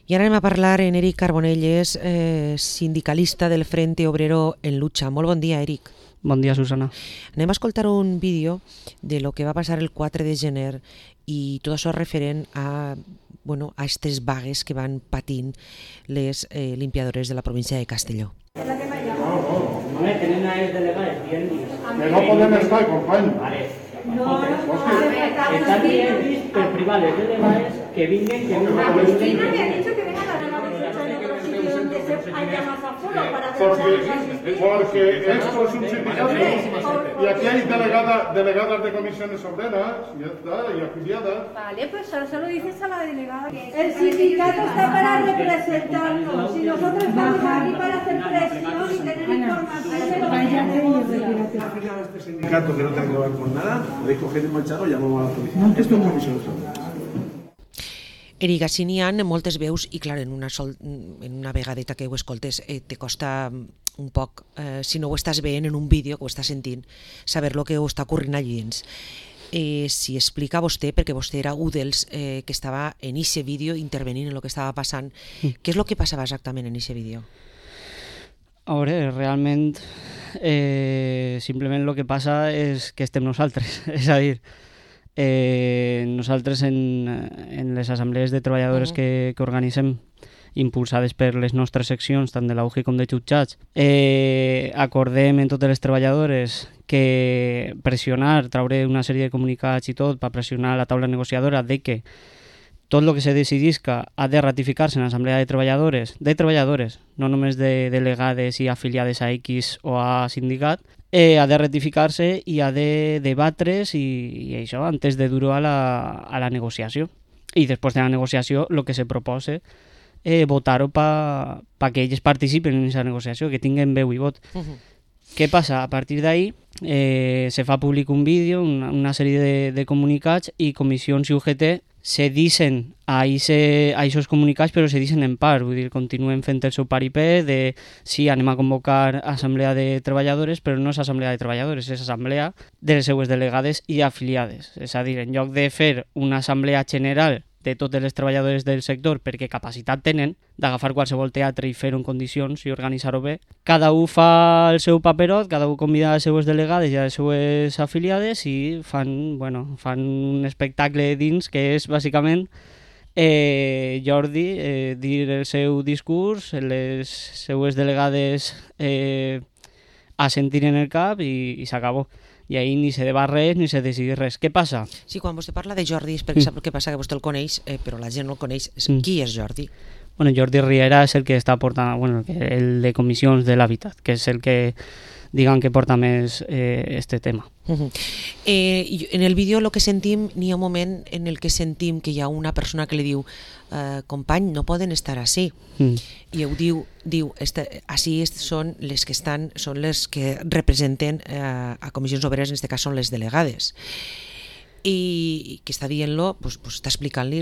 I ara anem a parlar en Eric Carbonell, sindicalista del Frente Obrero en Lucha. Molt bon dia, Eric. Bon dia, Susana. Anem a escoltar un vídeo de lo que va passar el 4 de gener i tot això referent a aquestes vagues que van patint les limpiadores de la província de Castelló. Que no podem estar, company. Están bien per privades de debades que vinguen, que no Cristina me ha dicho que vengan a dar una visita en otro sitio donde haya más aforo para Porque esto es un sindicato y aquí hay delegadas de comisiones obreras, ya está, y afiliadas. Vale, pues ahora se lo dices a la delegada. El sindicato está para representarnos y nosotros estamos aquí para hacer presión y tener información de lo que queremos. Este sindicato que no tiene que ver con nada, podéis coger y marchar o llamamos a la policía. Esto es comisiones obreras. Eric, així n'hi ha moltes veus i clar, en una vegadeta que ho escoltes te costa un poc, si no ho estàs veient en un vídeo que ho estàs sentint, saber lo que ho està ocorrint allí dins. Si explica vostè, perquè vostè era un dels que estava en aquest vídeo intervenint en el que estava passant, què és el que passava exactament en aquest vídeo? A veure, realment simplement el que passa és que estem nosaltres, és a dir, nosaltres en les assemblees de treballadores que organitzem, impulsades per les nostres seccions, tant de l'AUGI com de jutjats, acordem en totes les treballadores que pressionar, traure una sèrie de comunicats i tot, per pressionar la taula negociadora de que tot el que se decidisca ha de ratificar-se en l'assemblea de treballadores, no només de delegades i afiliades a X o a sindicat, ha de ratificar-se i ha de debatre's i això antes de dur a la negociació. I després de la negociació el que se proposa votar-ho perquè ells participen en aquesta negociació, que tinguen veu i vot. Què passa? A partir d'ahí se fa públic un vídeo, una sèrie de comunicats i comissions i UGT se dicen a aquests comunicats, però se dicen en part, vull dir, continuen fent el seu paripé de sí, anem a convocar assemblea de treballadores, però no és assemblea de treballadores, és assemblea de les seues delegades i afiliades. És a dir, en lloc de fer una assemblea general de totes les treballadores del sector perquè capacitat tenen d'agafar qualsevol teatre i fer-ho en condicions i organitzar-ho bé, cada un fa el seu paperot, cada un convida a les seues delegades i a les seues afiliades i fan un espectacle dins que és bàsicament Jordi dir el seu discurs, les seues delegades assentir en el cap i s'acabó. I ahir ni se debat res ni se decidís res. Què passa? Sí, quan vostè parla de Jordi és perquè sap què passa, que vostè el coneix, però la gent no el coneix. Qui és Jordi? Bueno, Jordi Riera és el que està portant, el de comissions de l'Habitat, que és el que, que porta més este tema. En el vídeo el que sentim, n'hi ha un moment en el que sentim que hi ha una persona que li diu company, no poden estar així. I ell diu així són les que estan, són les que representen a comissions obreres, en aquest cas són les delegades. I que està dient-lo, està explicant-li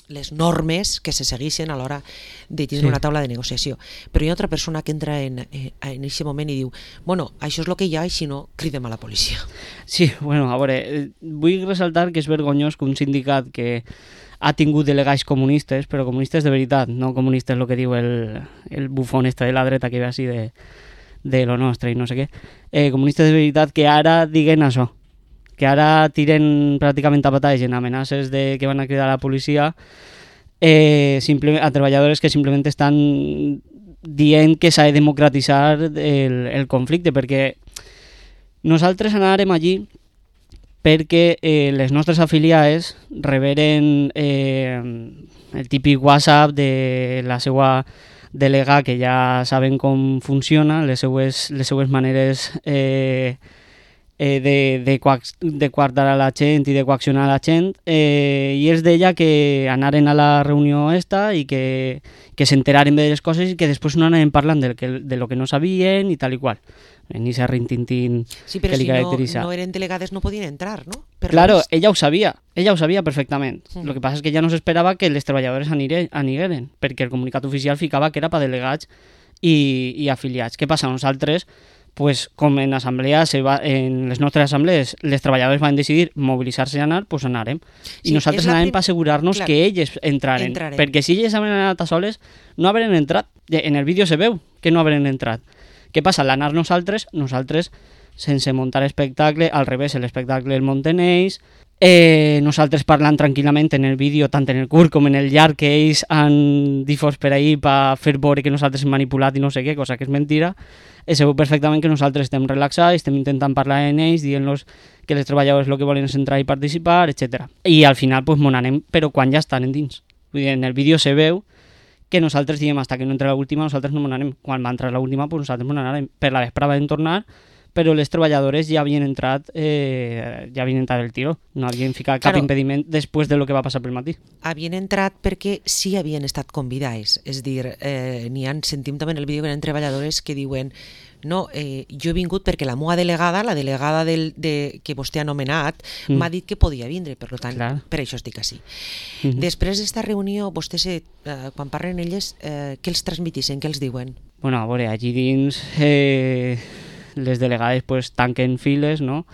les normes que se segueixen a l'hora de tindre una taula de negociació. Però hi ha otra persona que entra en aquest moment i diu això és el que hi ha i si no, cridem a la policia. Sí, a veure, vull ressaltar que és vergonyós que un sindicat que ha tingut delegats comunistes, però comunistes de veritat, no comunistes el que diu el bufón de la dreta que ve així de lo nostre i no sé què, comunistes de veritat que ara diguen això, que ara tiren pràcticament a batalles en amenaces de que van a cridar a la policia a treballadores que simplement estan dient que s'ha de democratitzar el conflicte, perquè nosaltres anàrem allí perquè les nostres afiliades reberen el típic WhatsApp de la seva delegada, que ja saben com funciona, les seues maneres de coartar a la gent i de coaccionar a la gent, i és d'ella que anaren a la reunió esta i que s'enteraren de les coses i que després no anaven parlant de lo que no sabien i tal i qual. Ni se rintintín que li caracteritza. Sí, però si no eren delegades no podien entrar, no? Claro, ella ho sabia perfectament. El que passa és que ella no s'esperava que les treballadores anigueren, perquè el comunicat oficial ficava que era per delegats i afiliats. Què passa? Nosaltres pues, com en en les nostres assemblees els treballadors van decidir mobilitzar-se i anar, doncs anarem. I nosaltres anàvem per assegurar-nos que ells entraren. Perquè si ells havien anat a soles, no haveren entrat. En el vídeo se veu que no haveren entrat. Què passa? Al anar nosaltres, sense muntar espectacle, al revés, l'espectacle el munten ells, nosaltres parlant tranquil·lament en el vídeo, tant en el curt com en el llarg, que ells han difós per ahir per fer veure que nosaltres hem manipulat i no sé què, cosa que és mentira. Se veu perfectament que nosaltres estem relaxats, estem intentant parlar amb ells, dient-los que els treballadors el que volen és entrar i participar, etc. I al final pues, anem, però quan ja estan endins. Vull dir, en el vídeo se veu que nosaltres diem hasta que no entre l'última, nosaltres no anem. Quan va entrar l'última, pues nosaltres anarem. Per la vesprada vam tornar, però les treballadores ja havien entrat el tiro. No havien ficat cap impediment després de lo que va passar pel matí. Havien entrat perquè sí havien estat convidades. És dir, sentim també en el vídeo que hi ha treballadores que diuen no, jo he vingut perquè la meva delegada, la delegada que vostè ha anomenat, m'ha dit que podia vindre, per tant, per això estic així. Després d'esta reunió, vostès, quan parlen elles, què els transmitissen, què els diuen? Bueno, a veure, allí dins les delegades pues, tanquen files, no?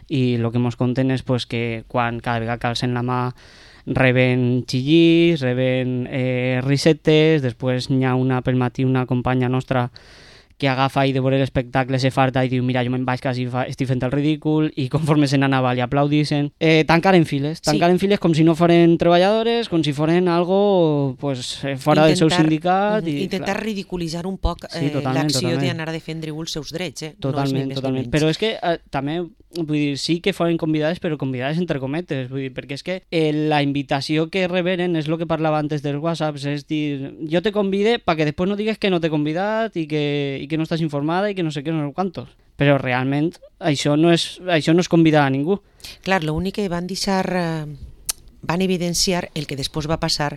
I el que ens conten és pues, que quan cada vegada que alcen la mà reben xillís, reben risetes, després n'hi ha pel matí una companya nostra que agafa i de veure l'espectacle se farta i diu mira, jo me'n vaig quasi estic fent el ridícul, i conforme se n'anava li aplaudissin. Tancaren files com si no foren treballadores, com si foren algo pues, fora del seu sindicat. Intentar ridiculitzar un poc l'acció d'anar a defendre els seus drets. Totalment. Però és que també, vull dir, sí que foren convidades, però convidades entre cometes, vull dir, perquè és que la invitació que reberen és el que parlava antes dels whatsapps, és dir, jo te convide perquè després no digues que no t'he convidat i que no estàs informada i que no sé què, no sé quantos. Però realment això no és convidar a ningú. Clar, l'únic que van deixar, van evidenciar el que després va passar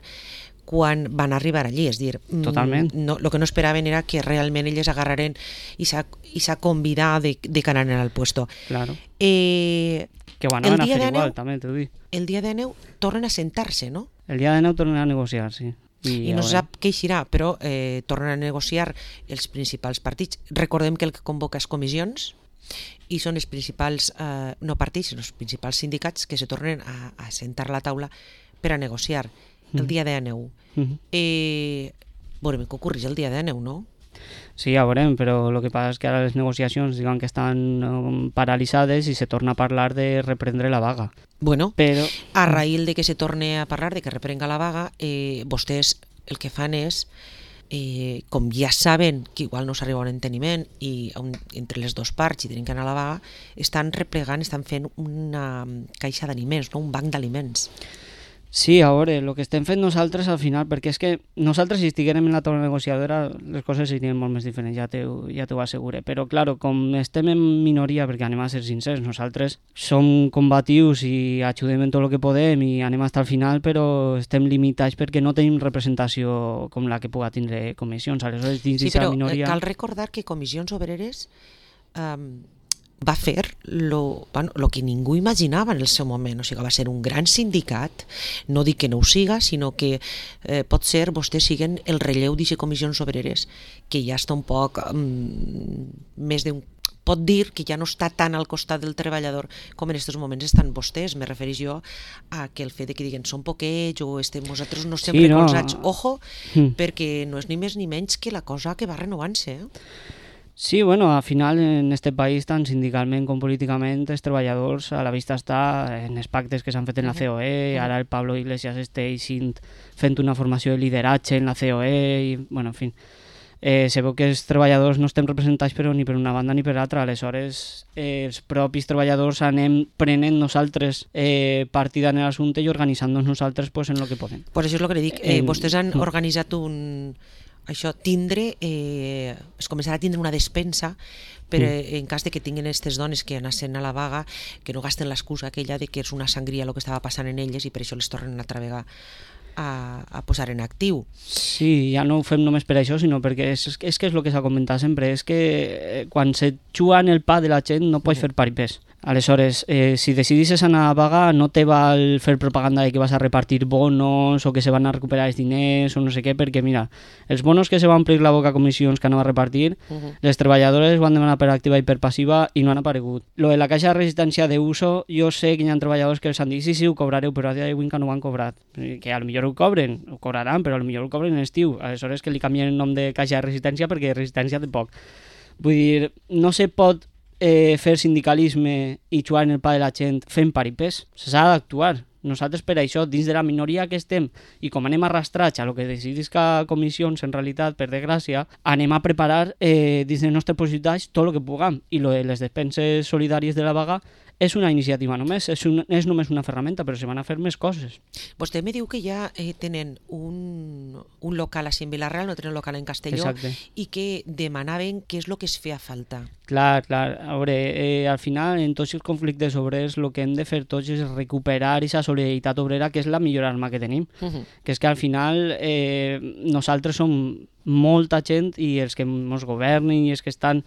quan van arribar allí, és dir, el que no esperaven era que realment elles agarraren i s'ha convidat de que anaven al puesto. Claro. Que ho anaven a fer igual, també t'ho dic. El dia de neu tornen a sentar-se, no? El dia de neu tornen a negociar, sí. I no sap què eixirà, però tornen a negociar els principals partits. Recordem que el que convoca és comissions i són els principals, no partits, sinó els principals sindicats que se tornen a sentar a la taula per a negociar el dia de neu. Veurem què ocorreix el dia de neu, no? Sí, ja veurem, però el que passa és que ara les negociacions diuen que estan paralitzades i se torna a parlar de reprendre la vaga. Bueno, però a raïl de que se torne a parlar de que reprenga la vaga, vostès el que fan és, com ja saben que igual no s'arriba a un enteniment i entre les dues parts i tenen que anar a la vaga, estan replegant, estan fent una caixa d'aliments, no? Un banc d'aliments. Sí, a veure, el que estem fent nosaltres al final, perquè és que nosaltres si estiguérem en la taula negociadora les coses serien molt més diferents, ja t'ho assegure, però clar, com estem en minoria, perquè anem a ser sincers, nosaltres som combatius i ajudem en tot el que podem i anem fins al final, però estem limitats perquè no tenim representació com la que puga tindre comissions, aleshores dins d'aquesta minoria... Sí, però cal recordar que Comissions Obreres va fer lo que ningú imaginava en el seu moment, o sigui, va ser un gran sindicat, no dic que no ho siga, sinó que pot ser vostès siguen el relleu d'aquestes Comissions Obreres, que ja està un poc més d'un... Pot dir que ja no està tan al costat del treballador com en aquests moments estan vostès. Me refereix jo a que el fet de que diguen són poquets o nosaltres no estem recolzats. Ojo, perquè no és ni més ni menys que la cosa que va renovant-se. Sí, bueno, al final en este país, tant sindicalment com políticament, els treballadors a la vista està en els pactes que s'han fet en la COE, ara el Pablo Iglesias està fent una formació de lideratge en la COE, i, bueno, en fi, se veu que els treballadors no estem representats però ni per una banda ni per l'altra, aleshores els propis treballadors anem prenent nosaltres partida en l'assumpte i organitzant-nos nosaltres pues, en el que podem. Pues això és el que li dic, vostès han organitzat es començarà a tindre una despensa per en cas de que tinguin aquestes dones que anassen a la vaga, que no gasten l'excusa aquella de que és una sangria el que estava passant en elles i per això les tornen a travegar a posar en actiu. Sí, ja no ho fem només per això, sinó perquè és que és el que s'ha comentat sempre, és que quan se juga en el pa de la gent no pots fer paripés. Aleshores, si decidisses anar a vaga, no te val fer propaganda de que vas a repartir bonos o que se van a recuperar els diners o no sé què, perquè mira, els bonos que se van omplir la boca a comissions que anava a repartir, les treballadores van demanar per activa i per passiva i no han aparegut. Lo de la caixa de resistència d'uso, jo sé que hi ha treballadors que els han dit sí, ho cobrareu, però a dia d'avui encara no ho han cobrat. Que a lo millor ho cobren, ho cobraran, però a lo millor ho cobren en estiu. Aleshores que li canvien el nom de caixa de resistència perquè resistència té poc. Vull dir, no se pot fer sindicalisme i jugar en el pa de la gent fent paripés. S'ha d'actuar. Nosaltres per això, dins de la minoria que estem i com anem arrastrats a lo que decidisca comissions, en realitat, per desgràcia, anem a preparar dins dels nostres possibilitats tot el que puguem. I lo de les despenses solidàries de la vaga és una iniciativa només, és només una ferramenta, però se van a fer més coses. Vostè me diu que ja tenen un local així en Vila-real, no tenen local en Castelló. Exacte. I que demanaven què és el que es feia falta. Clar. A veure, al final, en tots els conflictes obrers, el que hem de fer tots és recuperar aquesta solidaritat obrera, que és la millor arma que tenim. Que és que al final nosaltres som molta gent i els que ens governen i els que estan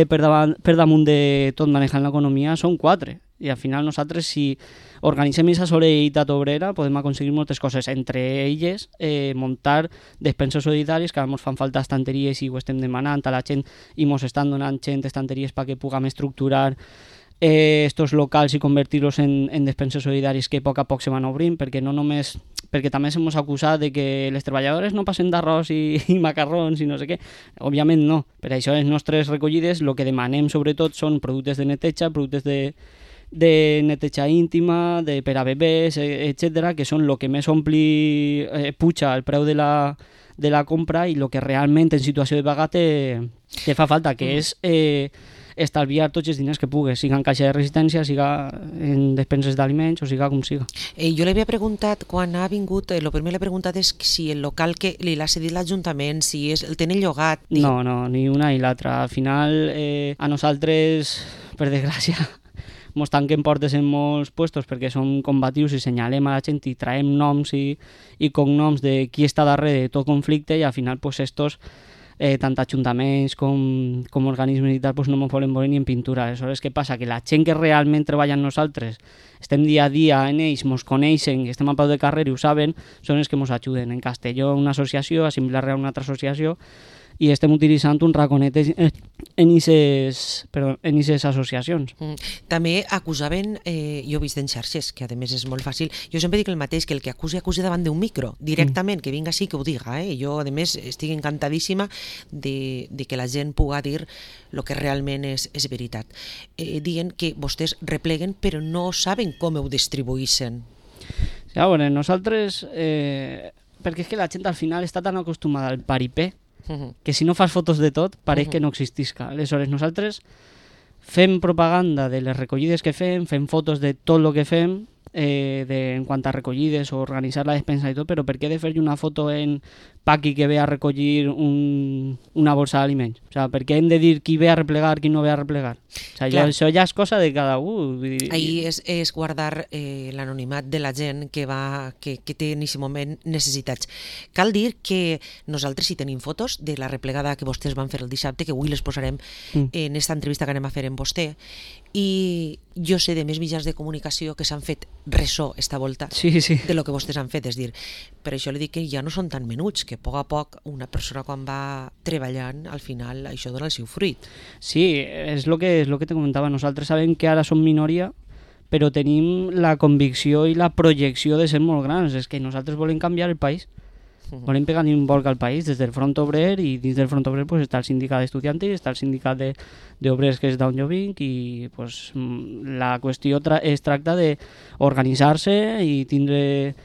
per damunt de tot manejant l'economia són 4. I al final nosaltres, si organitzem aquesta solidaritat obrera, podem aconseguir moltes coses. Entre elles, muntar despenses solidàries, que ens fan falta estanteries i ho estem demanant a la gent i ens estan donant gent estanteries perquè puguem estructurar estos locals i convertir-los en despenses solidàries que a poc se van obrint, perquè no només... perquè també s'hem acusat de que les treballadores no passen d'arròs i macarrons i no sé què. Òbviament no. Per això les nostres recollides el que demanem sobretot són productes de neteja, productes de neteja íntima, per a bebès, etc., que són el que més puja el preu de la compra i el que realment en situació de vaga te fa falta, que és estalviar tots els diners que pugues, siga en caixa de resistència, siga en despenses d'aliments o siga com siga. Jo li havia preguntat, quan ha vingut, el primer l'he preguntat és si el local que li l'ha cedit l'Ajuntament, si el tenen llogat. No, ni una ni l'altra. Al final, a nosaltres, per desgràcia, ens tanquen portes en molts puestos perquè som combatius i senyalem a la gent i traiem noms i cognoms de qui està darrere de tot conflicte i al final, pues, estos tant ajuntaments com organismes i tal, pues no ens volen veure ni en pintura. Aleshores, què passa? Que la gent que realment treballa amb nosaltres, estem dia a dia en ells, ens coneixen, estem a peu de carrer i ho saben, són els que ens ajuden. En Castelló una associació, a Vila-real una altra associació, i estem utilitzant un raconet en aquestes associacions. També acusaven, jo he vist en xarxes, que a més és molt fàcil, jo sempre dic el mateix, que el que acuse davant d'un micro, directament, que vinga així, que ho diga. Jo, a més, estic encantadíssima de que la gent pugui dir el que realment és veritat. Dient que vostès repleguen, però no saben com ho distribuïssin. A veure, nosaltres, perquè és que la gent al final està tan acostumada al paripé, que si no fas fotos de tot, pareix que no existisca. Aleshores, nosaltres fem propaganda de les recollides que fem fotos de tot el que fem, en quant a recollides o organitzar la despensa i tot, però per què he de fer una foto en Paqui que ve a recollir una bolsa d'aliments? O sigui, per què hem de dir qui ve a replegar, qui no ve a replegar? O sigui, això ja és cosa de cada un. Ahí és guardar l'anonimat de la gent que té en aquest moment necessitats. Cal dir que nosaltres sí tenim fotos de la replegada que vostès van fer el dissabte, que avui les posarem en aquesta entrevista que anem a fer amb vostè, i jo sé de més mitjans de comunicació que s'han fet ressò esta volta de lo que vostès han fet. És dir, per això li dic que ja no són tan menuts, que a poc una persona quan va treballant, al final això dona el seu fruit. Sí, és el que te comentava. Nosaltres sabem que ara som minoria, però tenim la convicció i la projecció de ser molt grans. És que nosaltres volem canviar el país. Volem pegar un volc al país des del Front Obrer, i dins del Front Obrer pues, està el sindicat d'estudiantes, està el sindicat d'obrers que és d'on jo vinc, i pues, la qüestió es tracta d'organitzar-se i tindre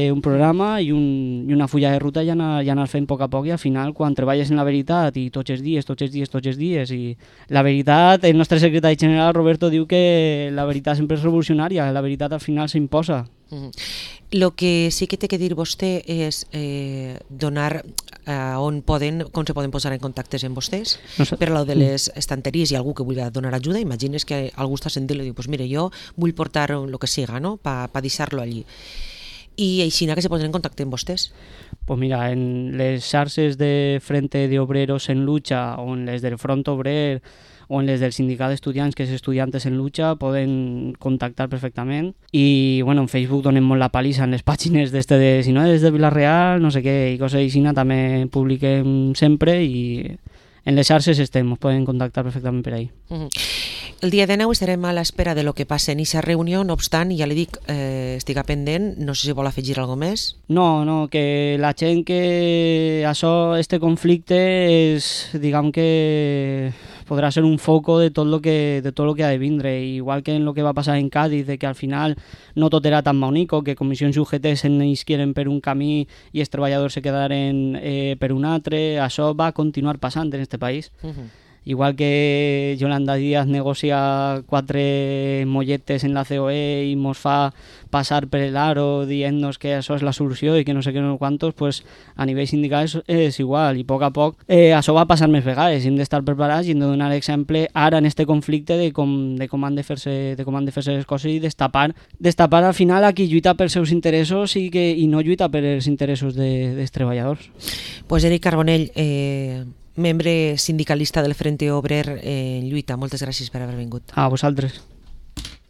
un programa i una fulla de ruta i anar fent a poc, i al final quan treballes en la veritat i tots els dies, i la veritat, el nostre secretari general Roberto diu que la veritat sempre és revolucionària, la veritat al final s'imposa. El que sí que té que dir vostè és donar com se poden posar en contactes amb vostès per a de les estanteries. Hi ha algú que vulgui donar ajuda, imagines que algú està sentint i diu, pues mira, jo vull portar el que siga, no?, per deixar-lo allí. I així que se posen en contacte amb vostès? Pues mira, en les xarxes de Frente de Obreros en Lucha o en les del Front Obrer o en les del sindicat d'estudiants, que és Estudiantes en Lucha, poden contactar perfectament. I bueno, en Facebook donem molt la palissa en les pàgines d'este de si no és de Vila-real, no sé què, i coses així, també publiquem sempre i en les xarxes estem, us poden contactar perfectament per ahí. El dia 19 estarem a l'espera de lo que passa en aquesta reunió, no obstant, ja li dic, estic pendent, no sé si vol afegir alguna més. No, que la gent que este conflicte és, diguem que podrà ser un foco de tot lo que ha de vindre, igual que en lo que va passar en Cádiz, de que al final no tot era tan bonico, que comissions UGT se n'isquieren per un camí i els treballadors se quedaren per un altre, això va continuar passant en este país. Igual que Yolanda Díaz negocia 4 molletes en la COE i mos fa passar per el aro dient-nos que això és la solució i que no sé què no quantos, pues a nivell sindical és igual, i a poc això va passar més vegades, hem d'estar preparats i hem de donar exemple ara en este conflicte de com han de fer-se les coses i destapar al final a qui lluita pels seus interessos i no lluita per els interessos dels treballadors. Pues Eric Carbonell, membre sindicalista del Frente Obrer en lluita, moltes gràcies per haver vingut. A vosaltres.